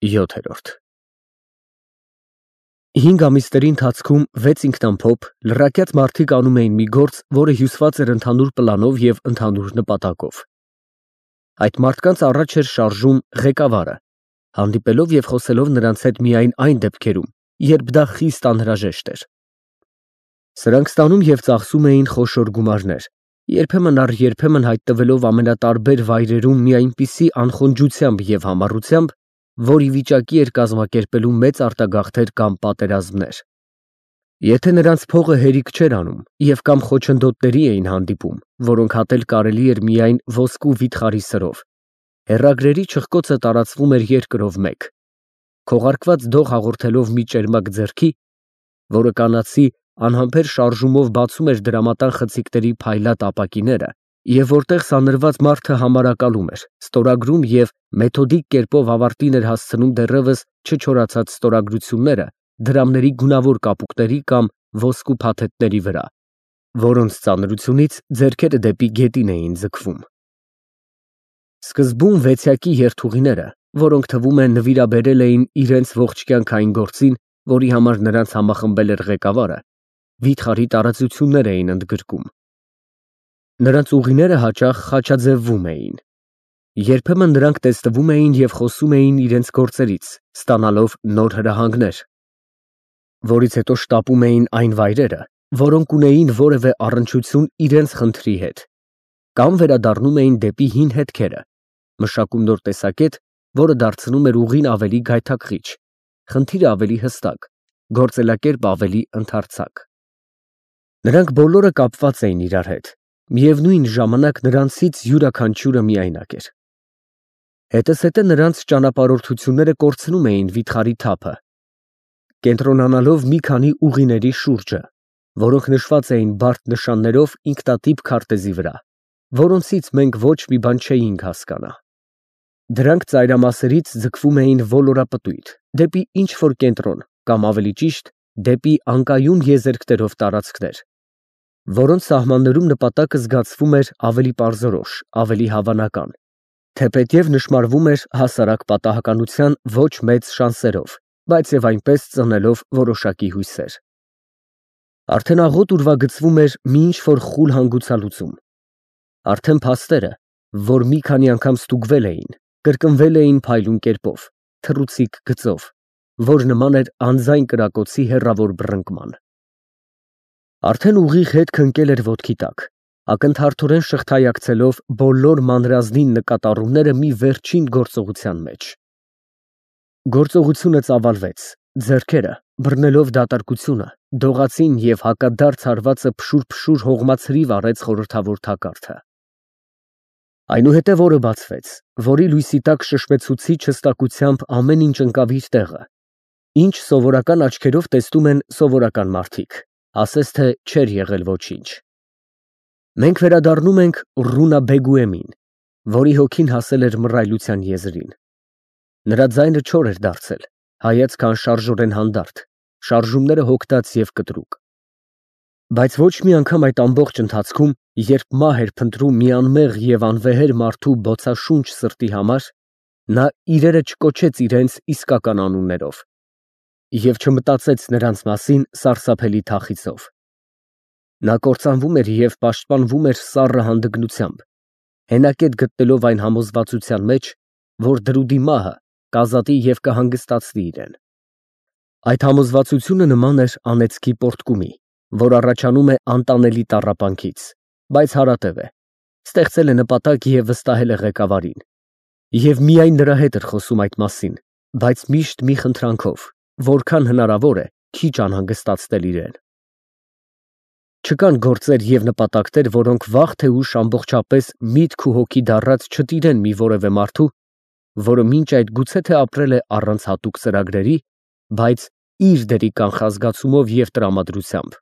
7-րդ 5 ամիսների ընթացքում 6 ինքնամփոփ, լրակյաց մարդիկ անում էին մի գործ, որը հյուսված էր ընդհանուր պլանով և ընդհանուր նպատակով։ Այդ մարդկանց առաջ էր շարժում ղեկավարը, հանդիպելով և խոսելով նրանց հետ միայն այն դեպքերում, երբ դա խիստ անհրաժեշտ էր։ Սրանք ստանում և ծախսում էին խոշոր գումարներ, երբեմն առ երբեմն հայտնվելով ամենատարբեր վայրերում մի այնպիսի անխոնջությամբ և համառությամբ, որ ի վիճակի էր կազմակերպելու մեծ արտագաղթեր կամ պատերազմներ։ Եթե նրանց փողը հերիք չէր անում և կամ խոչընդոտների էին հանդիպում, որոնք հատել կարելի էր միայն ոսկու վիթխարի սրով, հեռագրերի չխկոցը տարածվում էր երկրով մեկ, քողարկված դող հաղորդելով մի ճերմակ ձեռքի, որը կանացի անհամբեր շարժումով բացում էր դրամատան խցիկների փայլատ ապակիները, և որտեղ սանրված մարդը համարակալում էր, ստորագրում և մեթոդիկ կերպով ավարտին էր հասցնում դեռևս չչորացած ստորագրությունները դրամների գունավոր կապուկների կամ ոսկու փաթեթների վրա, որոնց ծանրությունից ձեռքերը դեպի գետին էին ձգվում։ Սկզբում վեցյակի երթուղիները, որոնք թվում է նվիրաբերել էին իրենց ողջ կյանքային գործին, որի համար նրանց համախմբել էր ղեկավարը, վիթխարի տարածություններ էին ընդգրկում։ Նրանց ուղիները հաճախ խաչաձևվում էին։ Երբեմն նրանք տեսնվում էին և խոսում էին իրենց գործերից, ստանալով նոր հրահանգներ, որից հետո շտապում էին այն վայրերը, որոնք ունեին որևէ առնչություն իրենց խնդրի հետ, կամ վերադառնում էին դեպի հին հետքերը, մշակում նոր տեսակետ, որը դարձնում էր ուղին ավելի գայթակղիչ, խնդիրը ավելի հստակ, գործելակերպ ավելի ընդարձակ։ Նրանք բոլորը կապված էին իրար հետ, միևնույն ժամանակ նրանցից յուրաքանչյուրը միայնակ էր։ Հետզհետե նրանց ճանապարհորդությունները կորցնում էին վիթխարի թափը, կենտրոնանալով մի քանի ուղիների շուրջը, որոնք նշված էին բարդ նշաններով ինքնատիպ քարտեզի վրա, որոնցից մենք ոչ մի բան չէինք հասկանա։ Դրանք ծայրամասերից ձգվում էին ոլորապտույտ, դեպի ինչ-որ կենտրոն, կամ ավելի ճիշտ, դեպի անկայուն եզերքներով տարածքներ, որոնց սահմաններում նպատակը զգացվում էր ավելի պարզորոշ, ավելի հավանական, թեպետև նշմարվում էր հասարակ պատահականության ոչ մեծ շանսերով, բայց և այնպես ծնելով որոշակի հույսեր։ Արդեն աղոտ ուրվագծվում էր մի ինչ-որ խուլ հանգուցալուծում։ Արդեն փաստերը, որ մի քանի անգամ ստուգվել էին, կրկնվել էին փայլուն կերպով, թռուցիկ գծով, որ նման էր անձայն կրակոցի հեռավոր բռնկման։ Արդեն ուղիղ հետքը ընկել էր ոտքի տակ, ակնթարթորեն շղթայակցելով բոլոր մանրազնին նկատառումները մի վերջին գործողության մեջ։ Գործողությունը ծավալվեց, ձեռքերը, բռնելով դատարկությունը, դողացին և հակադարձ հարվածը փշուր-փշուր հողմացրիվ առեց խորհրդավոր թակարդը։ Այնուհետև օրը բացվեց, որի լույսի տակ շշմեցուցիչ հստակությամբ ամեն ինչ ընկավ իր տեղը, ինչ սովորական աչքերով տեսնում են սովորական մարդիկ, ասես թե չէր եղել ոչինչ։ Մենք վերադառնում ենք Ռունաբեգուեմին, որի հոգին հասել էր մռայլության եզրին։ Նրա ձայնը չոր էր դարձել, հայացքը անշարժորեն հանդարտ, շարժումները հոգտած և կտրուկ։ Բայց ոչ մի անգամ այդ ամբողջ ընթացքում, երբ մահ էր փնտրում մի անմեղ և անվեհեր մարդու բոցաշունչ սրտի համար, նա իրերը չկոչեց իրենց իսկական անուններով և չմտածեց նրանց մասին սարսափելի թախիծով։ Նա կործանվում էր և պաշտպանվում էր սառը հանդգնությամբ, հենակետ գտնելով այն համոզվածության մեջ, որ դրուդի մահը կազատի և կհանգստացնի իրեն։ Այդ համոզվածությունը նման էր անեծքի պոռթկումի, որ առաջանում է անտանելի տառապանքից, բայց հարատև է, ստեղծել է նպատակ և վստահել է ղեկավարին, և միայն նրա հետ էր խոսում այդ մասին, բայց միշտ մի խնդրանքով, որքան հնարավոր է քիչ անհանգստացնել իրեն։ Չկան գործեր և նպատակներ, որոնք վաղ թե ուշ ամբողջապես միտք ու հոգի դառած չտիրեն մի որևէ մարդու, որը մինչ այդ գուցե թե ապրել է առանց հատուկ ծրագրերի, բայց իր դերի կանխազգացումով և տրամադրությամբ։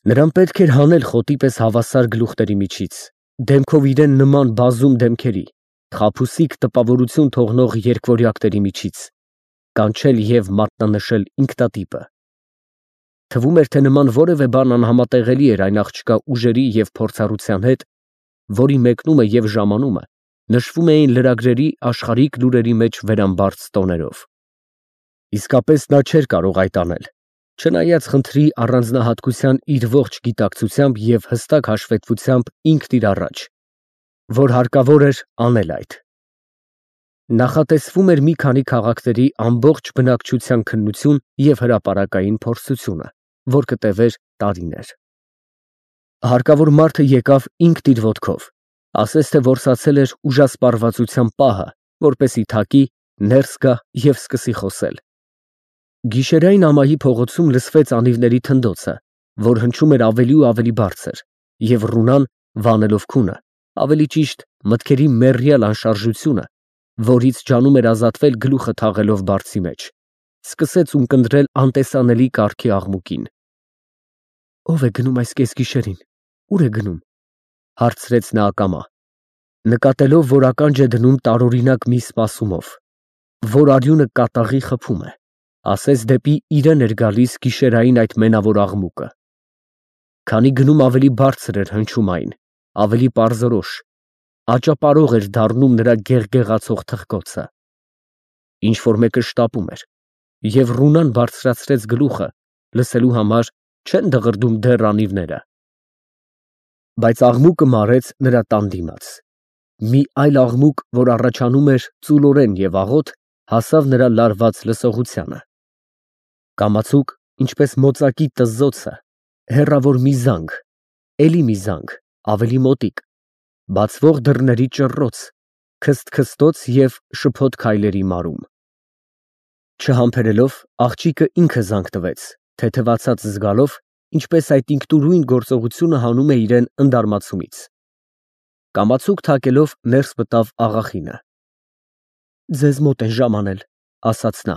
Նրան պետք էր հանել խոտի պես հավասար գլուխների միջից, դեմքով իրեն նման բազում դեմքերի, խաբուսիկ տպավորություն թողնող երկվորյակների միջից, կանչել և մատնանշել ինքնատիպը։ Թվում էր, թե նման որևէ բան անհամատեղելի էր այն աղջկա ուժերի և փորձառության հետ, որի մեկնումը և ժամանումը նշվում էին լրագրերի աշխարհիկ լուրերի մեջ վերամբարձ տոներով։ Իսկապես նա չէր կարող այդ անել, չնայած խնդրի առանձնահատկության իր ողջ գիտակցությամբ և հստակ հաշվետվությամբ ինքն իր առաջ, որ հարկավոր էր անել այդ։ Նախատեսվում էր մի քանի քաղաքների ամբողջ բնակչության քննություն և հրապարակային փորձությունը, որ կտևեր տարիներ։ Հարկավոր մարդը եկավ ինքն իր ոտքով, ասես թե որսացել էր ուժասպառվածության պահը, որպեսզի թակի, ներս գա և սկսի խոսել։ Գիշերային ամայի փողոցում լսվեց անիվների թնդոցը, որ հնչում էր ավելի ու ավելի բարձր, և Ռունան, վանելով քունը, ավելի ճիշտ մտքերի մեռյալ անշարժությունը, որից ջանում էր ազատվել գլուխը թաղելով բարձի մեջ, սկսեց ունկնդրել անտեսանելի կարգի աղմուկին։ «Ո՞վ է գնում այս կեսգիշերին, ուր է գնում» հարցրեց նա ակամա, նկատելով, որ ականջ է դնում տարօրինակ մի սպասումով, որ արյունը կատաղի խփում է, ասես դեպի իրեն էր գալիս գիշերային այդ մենավոր աղմուկը։ Քանի գնում ավելի բարձր էր հնչում այն, ավելի պարզորոշ, աճապարող էր դառնում նրա գեղգեղացող թխկոցը։ Ինչ-որ մեկը շտապում էր, և Ռունան բարձրացրեց գլուխը, լսելու համար չեն դղրդում դեռ անիվները։ Բայց աղմուկը մարեց նրա տան դիմաց։ Մի այլ աղմուկ, որ առաջանում էր ծուլորեն և աղոտ, հասավ նրա լարված լսողությանը։ Կամացուկ, ինչպես մոծակի տզզոցը, հեռավոր մի զանգ, էլի մի զանգ, ավելի մոտիկ, բացվող դռների ճռռոց, քսթքսթոց և շփոթ քայլերի մարում։ Չհամբերելով, աղջիկը ինքը զանգ տվեց, թեթևացած զգալով, ինչպես այդ ինքնուրույն գործողությունը հանում է իրեն ընդարմացումից։ Կամացուկ թակելով ներս մտավ աղախինը։ «Ձեզ մոտ են ժամանել», ասաց նա։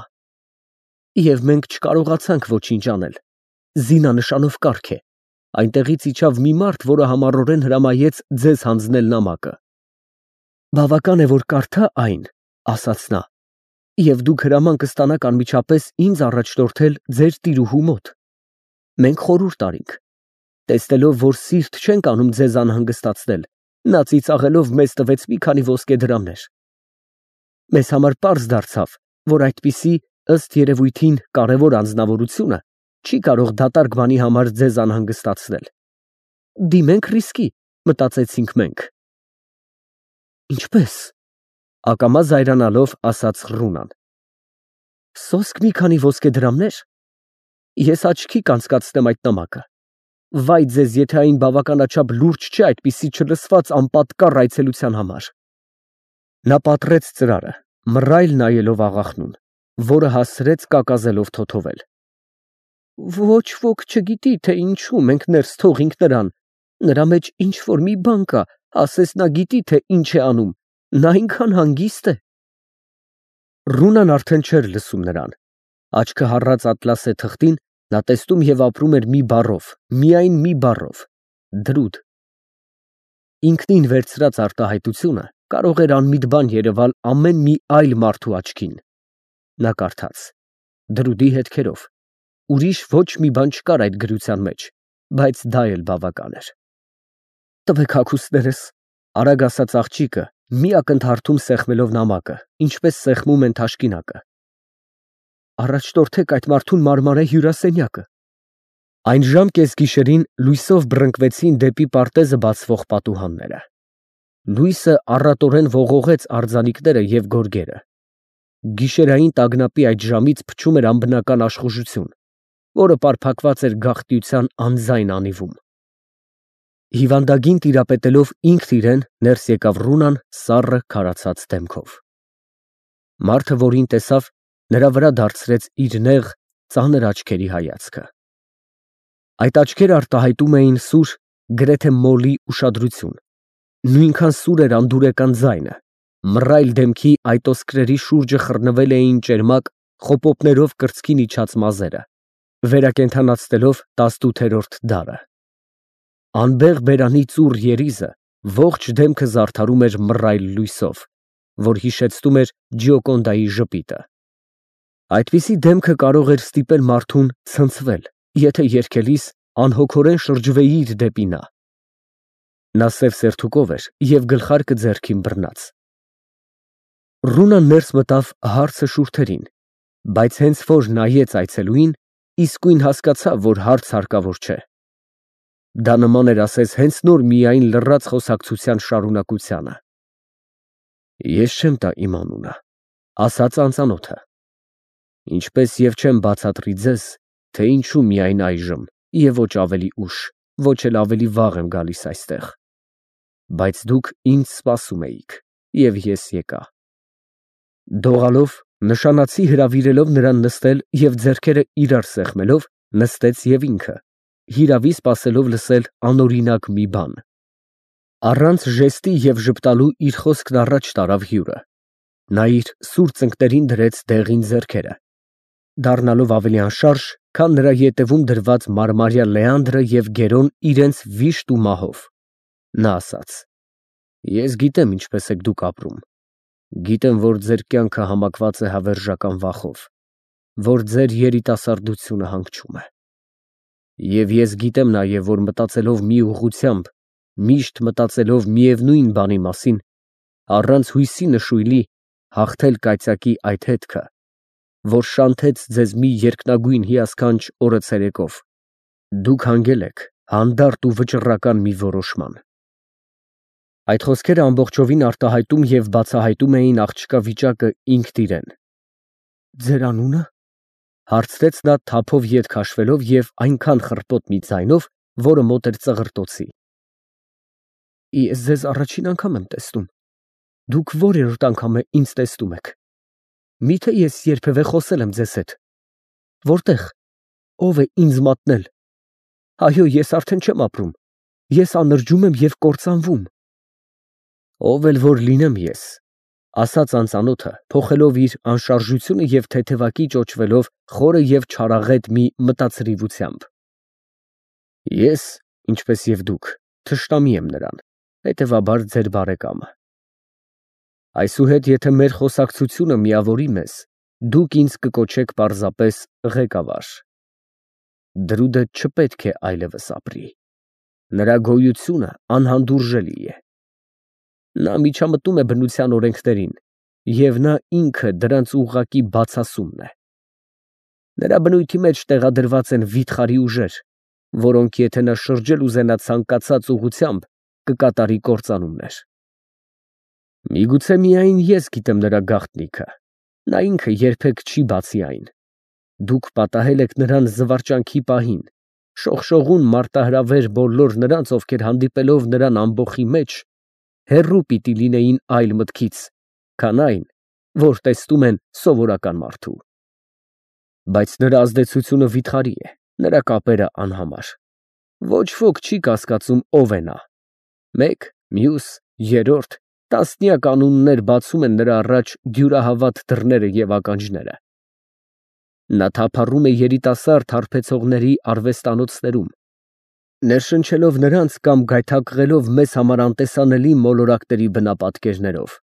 «Եվ մենք չկարողացանք ոչինչ անել։ Զինանշանով կառք է։ Այնտեղից իջավ մի մարդ, որը համառորեն հրամայեց ձեզ հանձնել նամակը։ Բավական է, որ կարդա այն, ասաց նա, և դուք հրաման կստանաք անմիջապես ինձ առաջնորդել ձեր տիրուհու մոտ։ Մենք խորհուրդ արինք։ Տեսնելով, որ սիրտ չենք անում ձեզ անհանգստացնել, նա ծիծաղելով մեզ տվեց մի քանի ոսկե դրամներ։ Մեզ համար պարզ դարձավ, որ այդպիսի, ըստ երևույթին, կարևոր անձնավորությունը չի կարող դատարկ բանի համար ձեզ անհանգստացնել։ Դիմենք ռիսկի, մտածեցինք մենք։ Ինչպե՞ս, ակամա զայրանալով ասաց Ռունան։ Սոսկ մի քանի ոսկե դրամներ։ Ես աչքի կանցկացնեմ այդ նամակը։ Վայ ձեզ, եթե այն բավականաչափ լուրջ չէ այդպիսի չլսված անպատկառ այցելության համար։ Նա պատռեց ծրարը, մռայլ նայելով աղախնուն, որը հասցրեց կակազելով թոթովել։ Ոչ ոք չգիտի, թե ինչու մենք ներս թողինք նրան։ Նրա մեջ ինչ-որ մի բան կա, ասես նա գիտի, թե ինչ է անում, նա այնքան հանգիստ է։ Ռունան արդեն չէր լսում նրան։ Աչքը հառած ատլասե թղթին, նա տեսնում և ապրում էր մի բառով, միայն մի բառով՝ դրուդ։ Ինքնին վերցրած արտահայտությունը կարող էր անմիտ բան երևալ ամեն մի այլ մարդու աչքին։ Նա կարդաց. դրուդի հետքերով։ Ուրիշ ոչ մի բան չկար այդ գրության մեջ, բայց դա էլ բավական էր։ Տվեք հագուստներս, արագ ասաց աղջիկը, մի ակնթարթում սեղմելով նամակը, ինչպես սեղմում են թաշկինակը։ Առաջնորդեք այդ մարդուն մարմարե հյուրասենյակը։ Այն ժամ կեսգիշերին լույսով բռնկվեցին դեպի պարտեզը բացվող պատուհանները։ Լույսը առատորեն ողողեց արձանիկները և գորգերը։ Գիշերային տագնապի այդ ժամից փչում էր անբնական աշխուժություն, որը պարփակված էր գաղտնիության անձայն անիվում։ Հիվանդագին տիրապետելով ինքն իրեն ներս եկավ Ռունան սառը քարացած դեմքով։ Մարդը, որին տեսավ, նրա վրա դարձրեց իր նեղ, ծանր աչքերի հայացքը։ Այդ աչքերը արտահայտում էին սուր, գրեթե մոլի ուշադրություն։ Նույնքան սուր էր անդուրեկան ձայնը։ Մռայլ դեմքի այտոսկրերի շուրջը խռնվել էին ճերմակ, խոպոպներով կրծքին իջած մազերը, վերակենդանացնելով 18-րդ դարը։ Անբեղ բերանի ծուռ երիզը ողջ դեմքը զարդարում էր մռայլ լույսով, որ հիշեցնում էր Ջիոկոնդայի ժպիտը։ Այդպիսի դեմքը կարող էր ստիպել մարդուն ցնցվել, եթե երգելիս անհոգորեն շրջվեիր դեպի նա։ Նա սև սերթուկով էր և գլխարկը ձեռքին բռնած, Ռունան ներս մտավ հարցը շուրթերին, բայց հենց որ նայեց այցելուին, իսկույն հասկացավ, որ հարց հարկավոր չէ։ Դա նման էր ասես հենց նոր միայն լռած խոսակցության շարունակությանը։ Ես չեմ տա իմ անունը, ասաց անծանոթը, ինչպես և չեմ բացատրի ձեզ, թե ինչու միայն այժմ և ոչ ավելի ուշ, ոչ էլ ավելի վաղ եմ գալիս այստեղ, բայց դուք ինձ սպասում էիք, և ես եկա։ Դողալով, նշանացի հրավիրելով նրան նստել և ձեռքերը իրար սեղմելով, նստեց և ինքը, հիրավի սպասելով լսել անօրինակ մի բան։ Առանց ժեստի և ժպտալու իր խոսքն առաջ տարավ հյուրը, նա իր սուր ծնկներին դրեց դեղին ձեռքերը, դառնալով ավելի անշարժ, քան նրա ետևում դրված մարմարյա Լեանդրը և Գերոն իրենց վիշտ ու մահով, նա ասաց. Ես գիտեմ ինչպես եք դուք ապրում, գիտեմ, որ ձեր կյանքը համակված է հավերժական վախով, որ ձեր երիտասարդությունը հանգչում է։ Եվ ես գիտեմ նաև, որ մտածելով մի ուղղությամբ, միշտ մտածելով միևնույն բանի մասին, առանց հույսի նշույլի, հաղթել կայծակի այդ հետքը, որ շանթեց ձեզ մի երկնագույն հիասքանչ օրը ցերեկով, դուք հանգել եք հանդարտ ու վճռական մի որոշման։ Այդ խոսքերը ամբողջովին արտահայտում և բացահայտում էին աղջկա վիճակը ինքն իրեն։ Ձեր անունը, հարցրեց նա թափով ետ քաշվելով և այնքան խռպոտ մի ձայնով, որը մոտ էր ծղրտոցի։ Ես ձեզ առաջին անգամ եմ տեսնում, դուք որերորդ անգամ է ինձ տեսնում եք։ Միթե ես երբևէ խոսել եմ ձեզ հետ։ Որտե՞ղ, ով է ինձ մատնել։ Այո, ես արդեն չեմ ապրում, ես անրջում եմ և կործանվում։ Ով էլ որ լինեմ ես, ասաց անծանոթը, փոխելով իր անշարժությունը և թեթևակի ճոճվելով խորը և չարաղետ մի մտածրիվությամբ։ Ես, ինչպես և դուք, թշնամի եմ նրան, հետևաբար ձեր բարեկամը։ Այսուհետ, եթե մեր խոսակցությունը միավորի մեզ, դուք ինձ կկոչեք պարզապես ղեկավար։ Դրուդը չպետք է այլևս ապրի, նրա գոյությունը անհանդուրժելի է։ Նա միջամտում է բնության օրենքներին, և նա ինքը դրանց ուղղակի բացասումն է։ Նրա բնույթի մեջ տեղադրված են վիթխարի ուժեր, որոնք եթե նա շրջել ուզենա ցանկացած ուղղությամբ, կկատարի կործանումներ։ Միգուցե միայն ես գիտեմ նրա գաղտնիքը, նա ինքը երբեք չի բացի այն։ Դուք պատահել եք նրան զվարճանքի պահին, շողշողուն մարտահրավեր բոլոր նրանց, ովքեր հանդիպելով նրան ամբոխի մեջ, հեռու պիտի լինեին այլ մտքից, քան այն, որ տեսնում են սովորական մարդու։ Բայց նրա ազդեցությունը վիթխարի է, նրա կապերը անհամար։ Ոչ ոք չի կասկածում ով է նա։ Մեկ, մյուս, երրորդ, տասնյակ անուններ բացում են նրա առաջ դյուրահավատ դռները և ականջները։ Նա թափառում է երիտասարդ հարբեցողների արվեստանոցներում, ներշնչելով նրանց կամ գայթակղելով մեզ համար անտեսանելի մոլորակների բնապատկերներով։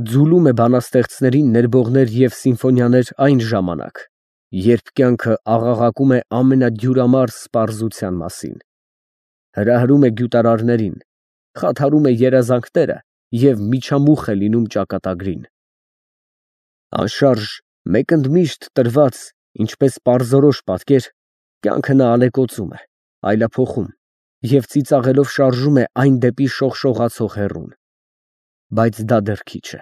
Ձուլում է բանաստեղծներին ներբողներ և սիմֆոնիաներ այն ժամանակ, երբ կյանքը աղաղակում է ամենադյուրամարս պարզության մասին, հրահրում է գյուտարարներին, խաթարում է երազանքները և միջամուխ է լինում ճակատագրին։ Անշարժ, մեկընդմիշտ տրված, ինչպես պարզորոշ պատկեր, կյանքը նա ալեկոծում է, այլափոխում և ծիծաղելով շարժում է այն դեպի շողշողացող հեռուն։ Բայց դա դեռ քիչ է։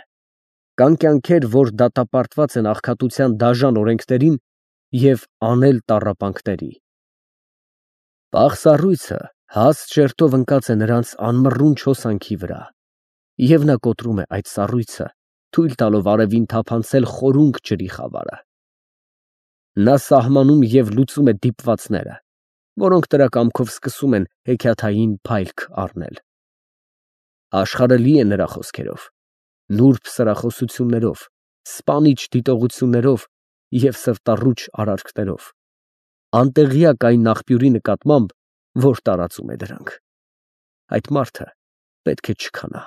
Կան կյանքեր, որ դատապարտված են աղքատության դաժան օրենքներին և անել տառապանքների։ Պաղ սառույցը հաստ շերտով ընկած է նրանց անմռունչ հոսանքի վրա, և նա կոտրում է այդ սառույցը, թույլ տալով արևին թափանցել խորունկ ջրի խավարը։ Նա սահմանում և լուծում է դիպվածները, որոնք նրա կամքով սկսում են հեքիաթային փայլք առնել։ Աշխարհը լի է նրա խոսքերով, նուրբ սրախոսություններով, սպանիչ դիտողություններով և սրտառուչ արարքներով, անտեղյակ այն աղբյուրի նկատմամբ, որ տարածում է դրանք։ Այդ մարդը պետք է չքանա։